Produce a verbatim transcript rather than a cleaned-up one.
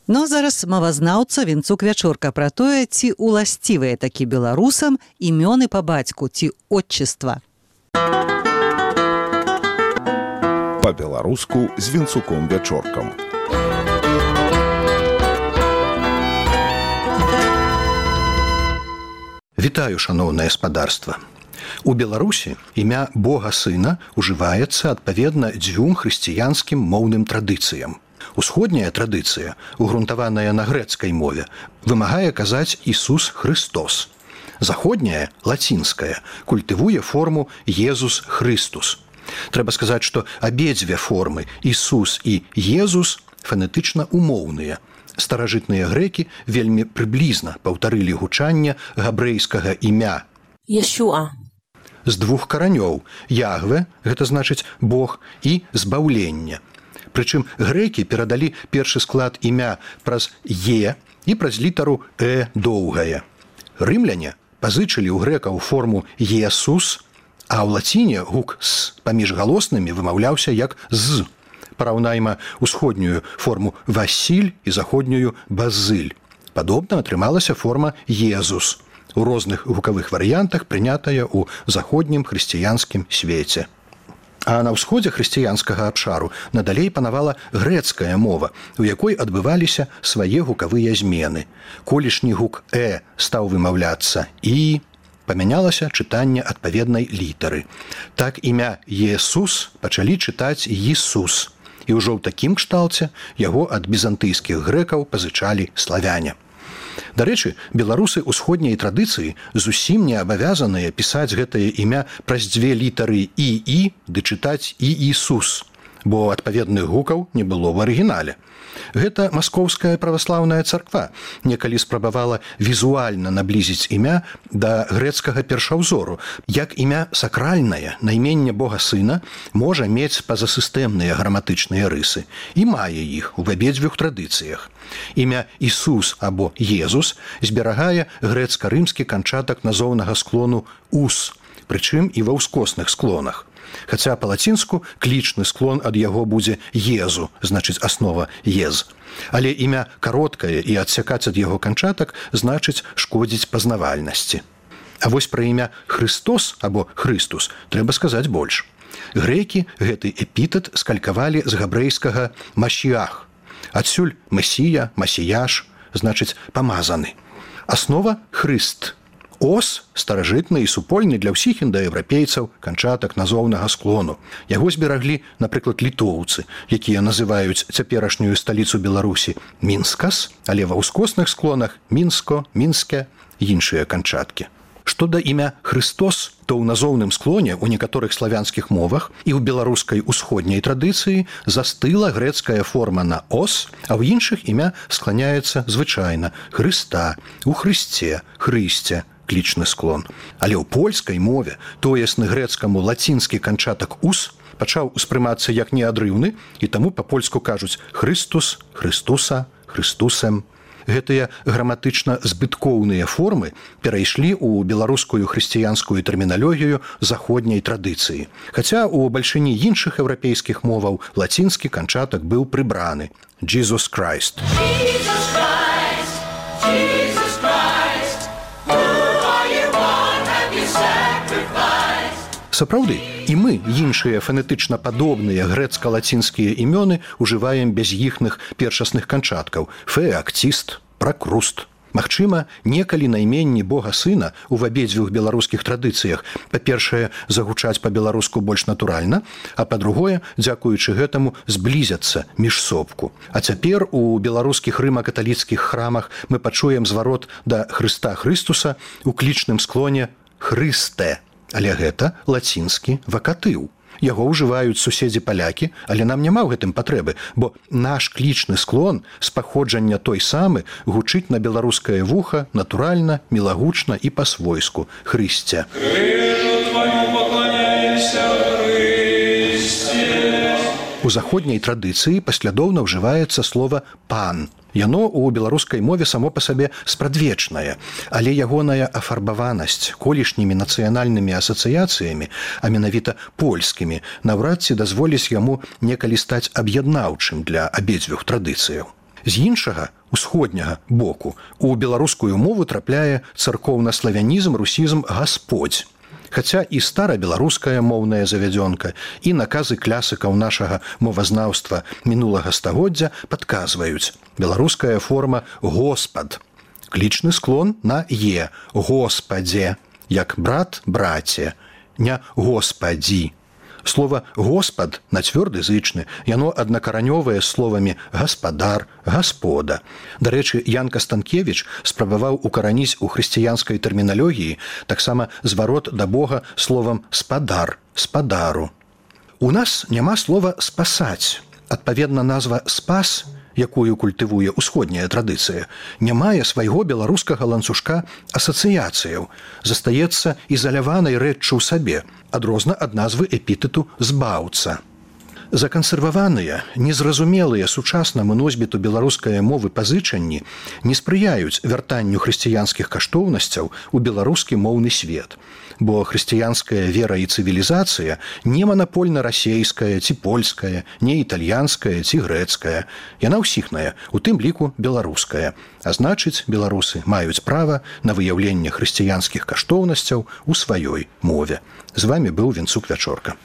Ну а зараз мовазнаўца Вінцук Вячорка пра тое, ці уласцівыя такі беларусам імёны па бацьку, ці отчыства. Па-беларуску з Вінцуком Вячоркам. Вітаю, шаноўнае спадарства. У Беларусі імя Бога Сына ўжываецца адпаведна дзвюм хрысціянскім моўным традыцыям. Усходняя традыцыя, угрунтаваная на грэцкай мове, вымагае казаць Ісус Христос. Заходняя, лацінская, культывуе форму Езус Христус. Трэба сказаць, што абедзве формы Ісус і Езус фанетычна умоўныя. Старажытныя грэкі вельмі прыблізна паўтарылі гучанне габрэйскага імя Ешуа. З двух каранёў Ягве, гэта значыць Бог, і збаўлення. Прычым грэкі перадалі першы склад імя праз Е і праз літару Э доўгае. Рымляне пазычылі ў грэкаў форму Есус, а ў лаціне гук «с» паміж галоснымі вымаўляўся як «з». Параўнайма усходнюю форму «Васіль» і заходнюю «Базыль». Падобна атрымалася форма «Езус», у розных гукавых варыянтах прынятая ў заходнім хрысціянскім свеце. А на ўсходзе хрысціянскага абшару надалей панавала грэцкая мова, у якой адбываліся свае гукавыя змены. Колішні гук «э» стаў вымаўляцца «і», памянялася чытанне адпаведнай літары. Так імя «Есус» пачалі чытаць «Ісус». І ўжо ў такім кшталце яго ад візантыйскіх грэкаў пазычалі славяне. Дарэчы, беларусы ўсходняй традыцыі зусім не абавязаныя пісаць гэтае імя праз дзве літары «і-і» ды чытаць «і-Ісус», бо адпаведных гукаў не было ў арыгінале. Гэта маскоўская праваслаўная царква некалі спрабавала візуальна наблізіць імя да грэцкага першаўзору, як імя сакральнае, найменне Бога Сына, можа мець пазасістэмныя граматычныя рысы і мае іх у абедзвюх традыцыях. Імя Ісус або Езус зберагае грэцка-рымскі канчатак назоўнага склону «ус», прычым і ва ўскосных склонах. Хаця па-лацінску клічны склон ад яго будзе «езу», значыць аснова «ез». Але імя кароткае і адсякаць ад яго канчатак значыць шкодзіць пазнавальнасці. А вось пра імя Христос або Христус трэба сказаць больш. Грэкі гэты эпітэт скалькавалі з габрэйскага «машіах». Адсюль «месія», «масіяш», значыць «памазаны». Аснова «хрыст». Ос старажытны і супольны для ўсіх індаеўрапейцаў канчатак назоўнага склону. Яго збераглі, напрыклад, літоўцы, якія называюць цяперашнюю сталіцу Беларусі Мінскас, але ва ўскосных склонах Мінско, Мінске і іншыя канчаткі. Што да імя Христос, то ў назоўным склоне ў некаторых славянскіх мовах і ў беларускай усходняй традыцыі застыла грэцкая форма на «ос», а ў іншых імя скланяецца звычайна «Хрыста», «у Хрысце», «Хрысце», клічны склон. Але ў польскай мове тоесны грэцкаму лацінскі канчатак «ус» пачаў успрымацца як неадрыўны, і таму па-польску кажуць «Христус», «Христуса», «Христусем». Гэтыя граматычна збыткоўныя формы перайшлі ў беларускую хрысціянскую тэрміналогію заходняй традыцыі. Хаця ў бальшыні іншых еўрапейскіх моваў лацінскі канчатак быў прыбраны «Jesus Christ». Jesus Christ, Jesus Christ, who are you born, have you sacrificed? Сапраўды, і мы іншыя фанетычна падобныя грэцка-лацінскія імёны ўжываем без іхных першасных канчаткаў «феактист», «пракруст». Магчыма, некалі найменні Бога Сына ў абедзвюх беларускіх традыцыях, па-першае, загучаць па-беларуску больш натуральна, а па-другое, дзякуючы гэтаму, зблізяцца міжсобку. А цяпер у беларускіх рыма-каталіцкіх храмах мы пачуем зварот да Хрыста Хрыстуса у клічным склоне «Хрысте». Але гэта лацінскі вакатыў. Яго ўжываюць суседзі-палякі, але нам няма ў гэтым патрэбы, бо наш клічны склон з паходжання той самы гучыць на беларускае вуха натуральна, мілагучна і па-свойску «Хрысце». Крыжу твайму пакланяемся, Хрысце. У заходняй традыцыі паслядоўна ўжываецца слова «пан». Яно ў беларускай мове само па сабе спрадвечнае, але ягоная афарбаванасць колішнімі нацыянальнымі асацыяцыямі, а менавіта польскімі, наўрад ці дазволіць яму некалі стаць аб'яднаўчым для абедзвюх традыцыяў. З іншага, усходняга боку, у беларускую мову трапляе царкоўна-славянізм, русізм «гасподзь». Хаця і старабеларуская моўная завядзёнка, і наказы клясыкаў нашага мовазнаўства мінулага стагоддзя падказваюць. Беларуская форма «госпад». Клічны склон на «е» – «господзе», як брат – браце, не «господзі». Слова «госпад» на цвёрды зычны, яно аднакаранёвае з словамі «гаспадар», «гаспода». Дарэчы, Ян Кастанкевіч спрабаваў укараніць у хрысціянскай тэрміналогіі таксама зварот да Бога словам «спадар», «спадару». У нас няма слова «спасаць». Адпаведна, назва «спас», якую культывуе ўсходняя традыцыя, не мае свайго беларускага ланцужка асацыяцыяў, застаецца ізаляванай рэччу ў сабе, адрозна ад назвы эпітэту «збаўца». Закансерваваныя, незразумелыя сучаснаму носьбіту беларускай мовы пазычанні не спрыяюць вяртанню хрысціянскіх каштоўнасцяў у беларускі моўны свет, бо хрысціянская вера і цывілізацыя не манапольна-расейская ці польская, не італьянская ці грэцкая. Яна ўсіхная, у тым ліку беларуская. А значыць, беларусы маюць права на выяўленне хрысціянскіх каштоўнасцяў у сваёй мове. З вамі быў Венцук Вячорка.